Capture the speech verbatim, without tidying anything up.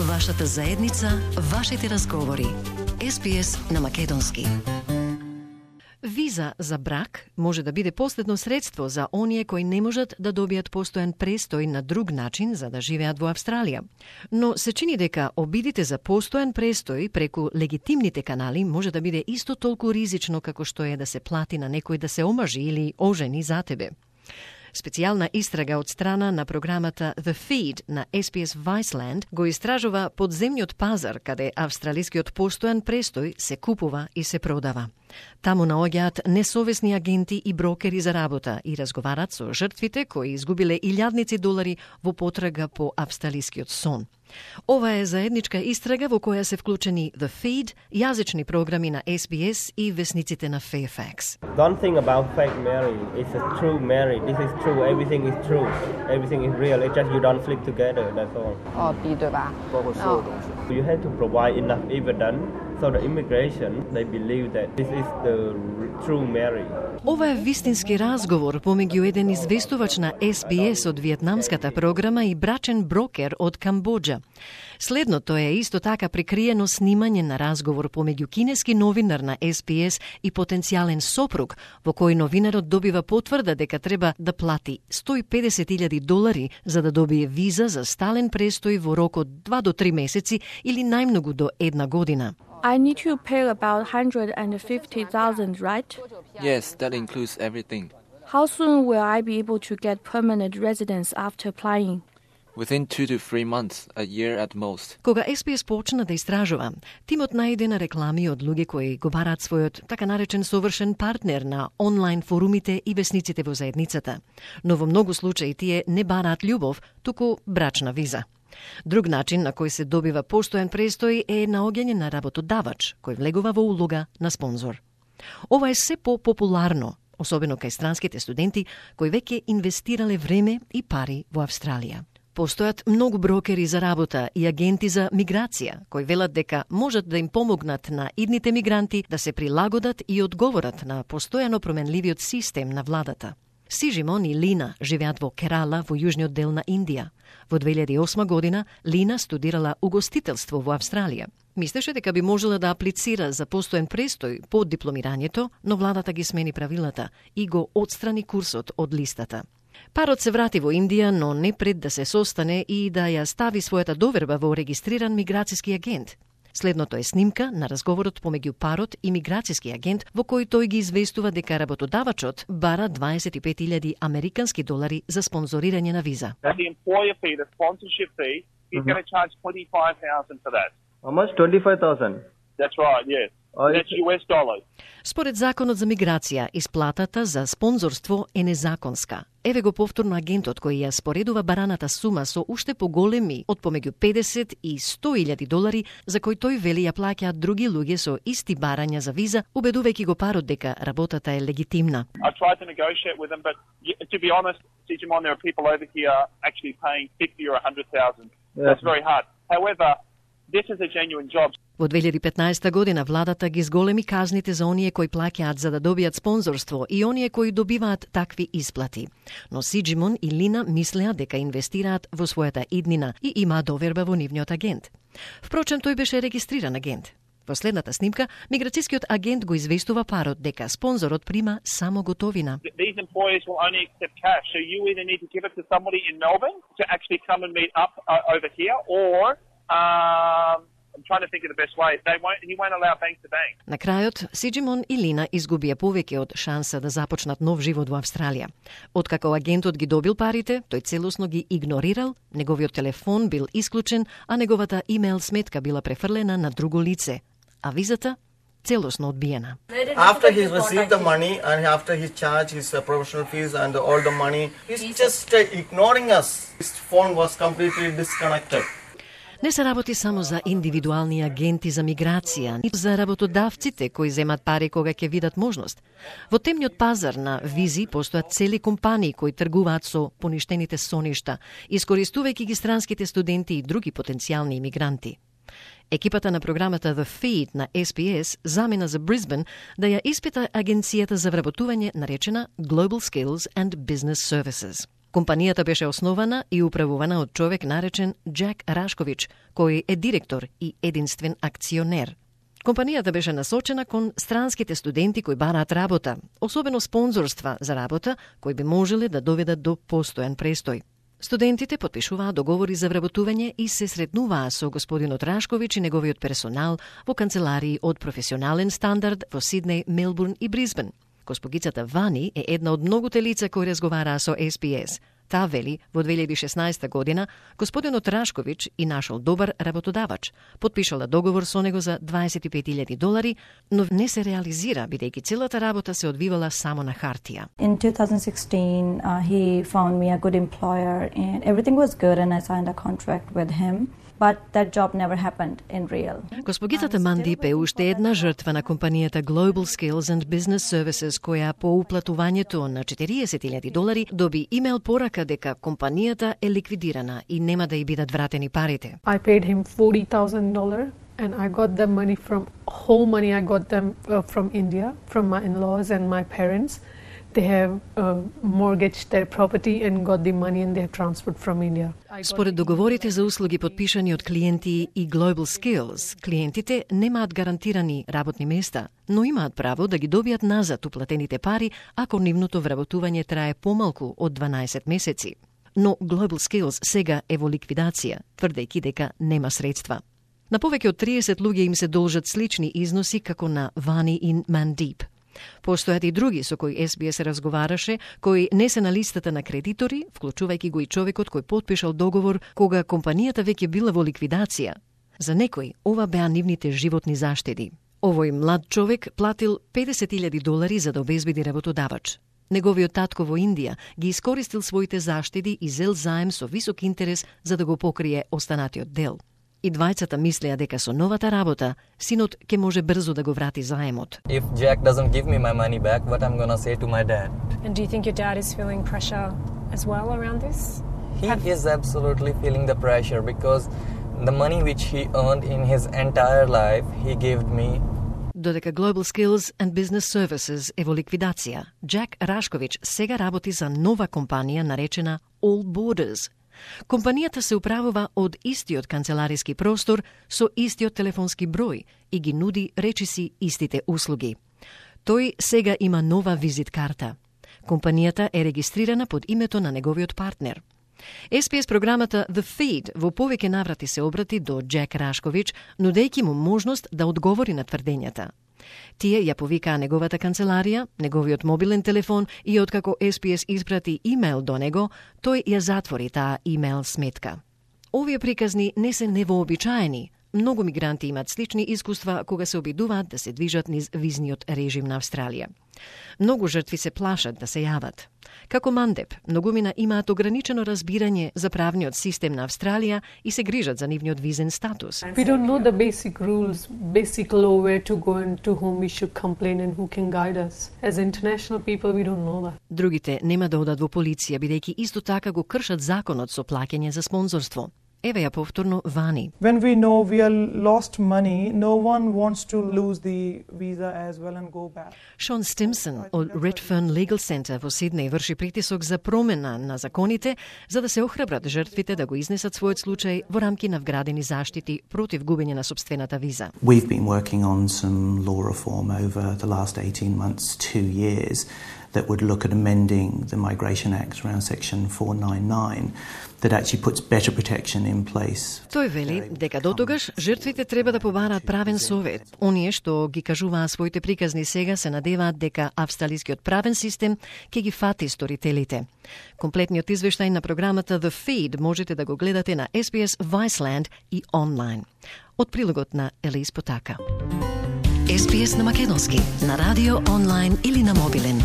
Вашата заедница, вашите разговори. Ес Би Ес на македонски. Виза за брак може да биде последно средство за оние кои не можат да добијат постојан престој на друг начин за да живеат во Австралија. Но се чини дека обидите за постојан престој преку легитимните канали може да биде исто толку ризично како што е да се плати на некој да се омажи или ожени за тебе. Специјална истрага од страна на програмата The Feed на Ес Би Ес Viceland го истражува подземниот пазар каде австралискиот постојан престој се купува и се продава. Таму наоѓаат несовесни агенти и брокери за работа и разговарат со жртвите кои изгубиле илјадници долари во потрага по австралискиот сон. Ова е заедничка истрага во која се вклучени The Feed, јазични програми на Ес Би Ес и весниците на Fairfax. Don't think about fake marriage. It's a true marriage. This is true. Everything is true. Everything is real. It's just you don't sleep together. That's all. 哦 B 对吧？ You have to provide enough evidence so the immigration they believe that this is the true marriage. Ова е вистински разговор помеѓу еден известувач на Ес Би Ес од виетнамската програма и брачен брокер од Камбоџа. Следното е исто така прикриено снимање на разговор помеѓу кинески новинар на Ес Би Ес и потенцијален сопруг, во кој новинарот добива потврда дека треба да плати сто и педесет илјади долари за да добие виза за стален престој во рок од два до три месеци или најмногу до една година. I need to pay about one hundred fifty thousand, right? Yes, that includes everything. How soon will I be able to get permanent residence after applying? Within two to three months, a year at most. Кога Ес Би Ес почна да истражува, тимот најде на реклами од луѓе кои го бараат својот така наречен совршен партнер на онлайн форумите и весниците во заедницата. Но во многу случаи тие не бараат љубов, туку брачна виза. Друг начин на кој се добива постојан престој е наоѓање на работодавач, кој влегува во улога на спонзор. Ова е се по-популарно, особено кај странските студенти кои веќе инвестирале време и пари во Австралија. Постојат многу брокери за работа и агенти за миграција, кои велат дека можат да им помогнат на идните мигранти да се прилагодат и одговорат на постојано променливиот систем на владата. Сиджимон и Лина живеат во Керала во јужниот дел на Индија. Во две илјади и осма година Лина студирала угостителство во Австралија. Мислеше дека би можела да аплицира за постојан престој по дипломирањето, но владата ги смени правилата и го отстрани курсот од листата. Парот се врати во Индија, но не пред да се состане и да ја стави својата доверба во регистриран миграцијски агент. Следното е снимка на разговорот помеѓу парот и миграцијски агент во кој тој ги известува дека работодавачот бара дваесет и пет илјади американски долари за спонзорирање на виза. The employer fee, the sponsorship fee, he's going to charge twenty-five thousand for that. How much? twenty-five thousand. That's right, yes. Oh, That's U S dollars. Според законот за миграција, исплатата за спонзорство е незаконска. Еве го повторно агентот кој ја споредува бараната сума со уште поголеми од помеѓу педесет и сто илјади долари, за кој тој вели ја плаќаат други луѓе со исти барања за виза, убедувајќи го парот дека работата е легитимна. I tried to negotiate with them, but to be honest, Digimon, there are people over here actually paying fifty or one hundred thousand. That's very hard. However, this is a genuine job. Во две илјади и петнаесета година владата ги зголеми казните за оние кои плаќаат за да добијат спонзорство и оние кои добиваат такви исплати. Но Сиджимон и Лина мислеа дека инвестираат во својата иднина и има доверба во нивниот агент. Впрочем, тој беше регистриран агент. Во следната снимка, миграцијскиот агент го известува парот дека спонзорот прима само готовина. These employers will only accept cash, so you either need to give it to somebody in Melbourne to actually come and meet up uh, over here, or um, I'm trying to think of the best way. They won't. He won't allow bank to bank. На крајот, Сиджимон и Лина изгубија повеќе од шанса да започнат нов живот во Австралија. Откако агентот ги добил парите, тој целосно ги игнорирал, неговиот телефон бил исклучен, а неговата имейл сметка била префрлена на друго лице, а визата целосно одбиена. After he received the money and after he charged his uh, professional fees and all the money, he's just uh, ignoring us. His phone was completely disconnected. Не се работи само за индивидуални агенти за миграција, и за работодавците кои земат пари кога ќе видат можност. Во темниот пазар на визи постојат цели компании кои тргуваат со поништените соништа, искористувајќи ги странските студенти и други потенцијални имигранти. Екипата на програмата The Feed на Ес Би Ес замена за Брисбен да ја испита агенцијата за вработување наречена Global Skills and Business Services. Компанијата беше основана и управувана од човек наречен Джек Рашкович, кој е директор и единствен акционер. Компанијата беше насочена кон странските студенти кои бараат работа, особено спонзорства за работа, кои би можеле да доведат до постојан престој. Студентите потпишуваа договори за вработување и се сретнуваа со господинот Рашкович и неговиот персонал во канцеларии од професионален стандард во Сиднеј, Мелбурн и Брисбен. Госпогицата Вани е една од многуте лица кои разговараа со Ес Би Ес. Таа вели, во две илјади и шеснаесета година, господинот Рашкович и нашол добар работодавач. Потпишала договор со него за дваесет и пет илјади долари, но не се реализира, бидејќи целата работа се одвивала само на хартија. In two thousand sixteen, uh, he found me a good employer and everything was good and I signed a contract with him. But that job never happened in real. Госпогицата Мандип е уште една жртва на компанијата Global Skills and Business Services, која по уплатувањето на четириесет илјади долари доби имейл порака дека компанијата е ликвидирана и нема да ја бидат вратени парите. I paid him forty thousand dollars and I got the money from whole money I got them uh, from India, from my in-laws and my parents. They have uh, mortgaged their property and got the money and they have transferred from India. Според договорите за услуги подпишани од клиенти и Global Skills, клиентите немаат гарантирани работни места, но имаат право да ги добијат назад уплатените пари ако нивното вработување трае помалку од дванаесет месеци. Но Global Skills сега е во ликвидација, тврдејќи дека нема средства. На повеќе од триесет луѓе им се должат слични износи како на Вани и Мандип. Постојат и други со кои Ес Би Ес разговараше, кои не се на листата на кредитори, вклучувајќи го и човекот кој потпишал договор кога компанијата веќе била во ликвидација. За некој ова беа нивните животни заштеди. Овој млад човек платил педесет илјади долари за да обезбеди работодавач. Неговиот татко во Индија ги искористил своите заштеди и зел заем со висок интерес за да го покрие останатиот дел. И двајцата мислеа дека со новата работа, синот ќе може брзо да го врати заемот. If Jack doesn't give me my money back, what I'm going to say to my dad? And do you think your dad is feeling pressure as well around this? He Have... is absolutely feeling the pressure because the money which he earned in his entire life, he gave me. Додека Global Skills and Business Services е во ликвидација, Джек Рашкович сега работи за нова компанија наречена All Borders. Компанијата се управува од истиот канцелариски простор со истиот телефонски број и ги нуди речиси истите услуги. Тој сега има нова визит карта. Компанијата е регистрирана под името на неговиот партнер. Ес Би Ес програмата The Feed во повеќе наврати се обрати до Джек Рашкович, нудејќи му можност да одговори на тврдењата. Тие ја повикаа неговата канцеларија, неговиот мобилен телефон и откако Ес Би Ес испрати имейл до него, тој ја затвори таа имейл сметка. Овие приказни не се невообичаени. Многу мигранти имаат слични искуства кога се обидуваат да се движат низ визниот режим на Австралија. Многу жртви се плашат да се јават. Како Мандеп, многумина имаат ограничено разбирање за правниот систем на Австралија и се грижат за нивниот визен статус. We don't know the basic rules, basic law, where to go and to whom we should complain and who can guide us. As international people, we don't know that. Другите нема да одат во полиција, бидејќи исто така го кршат законот со плаќање за спонзорство. Еве ја повторно Вани. When we know we are lost money, no one wants to lose the visa as well and go back. Шон Стимсон од Redfern Legal Center во Сиднеј врши притисок за промена на законите за да се охрабрат жртвите да го изнесат својот случај во рамки на вградени заштити против губење на сопствената виза. We've been working on some law reform over the last eighteen months, two years that would look at amending the Migration Act around section four ninety-nine that actually puts better protection in place. Тој вели дека дотогаш жртвите треба да побараат правен совет. Оние што ги кажуваа своите приказни сега се надеваат дека австралискиот правен систем ќе ги фати сторителите. Комплетниот извештај на програмата The Feed можете да го гледате на Ес Би Ес Viceland и онлайн. Од прилогот на Елис Потака. Ес Би Ес на македонски, на радио, онлайн или на мобилен.